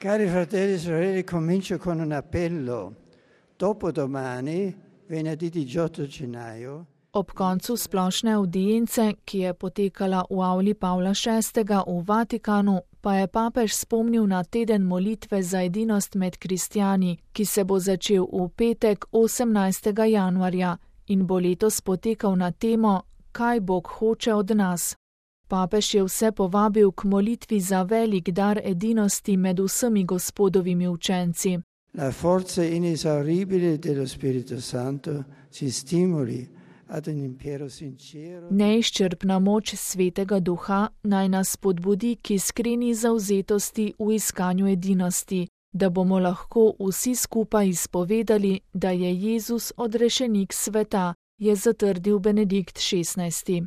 Cari fratelli e sorelle, comincio con un appello. Dopodomani, venerdì 18 gennaio, Ob koncu splošne avdience, ki je potekala v avli Pavla VI. V Vatikanu, pa je papež spomnil na teden molitve za edinost med kristjani, ki se bo začel v petek 18. januarja in bo letos potekal na temo, kaj Bog hoče od nas. Papež je vse povabil k molitvi za velik dar edinosti med vsemi Gospodovimi učenci. La forza inesauribile dello Spirito Santo ci stimoli ad un impero sincero. Neizčrpna moč Svetega Duha naj nas spodbudi k iskreni zavzetosti v iskanju edinosti, da bomo lahko vsi skupaj izpovedali, da je Jezus odrešenik sveta, je zatrdil Benedikt XVI.